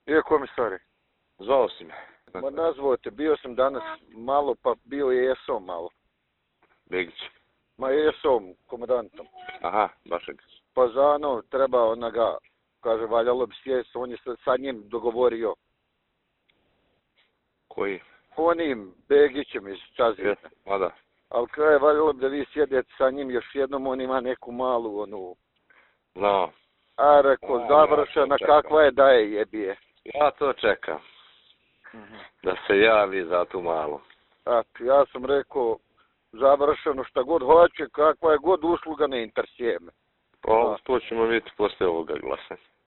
Iako mi stvari. Zvao si me. Ma nazvao te, bio sam danas malo, pa bio je ESO malo. Begić. Ma ESO, komandantom. Aha, Bašeg. Pa za ono, treba onoga, kaže, valjalo bi sjest, on je sa njim dogovorio. Koji? Onim Begićem iz Čazina. Ma da. Ali kraj valjalo bi da vi sjedete sa njim još jednom, on ima neku malu onu. No. A reko, završena, kakva je da je jebije. Ja to čekam. Da se javi za tu malu. Ja sam rekao, završeno šta god hoće, kakva je god usluga, ne interesuje me. Pa, to ćemo vidjeti posle ovoga glasanja.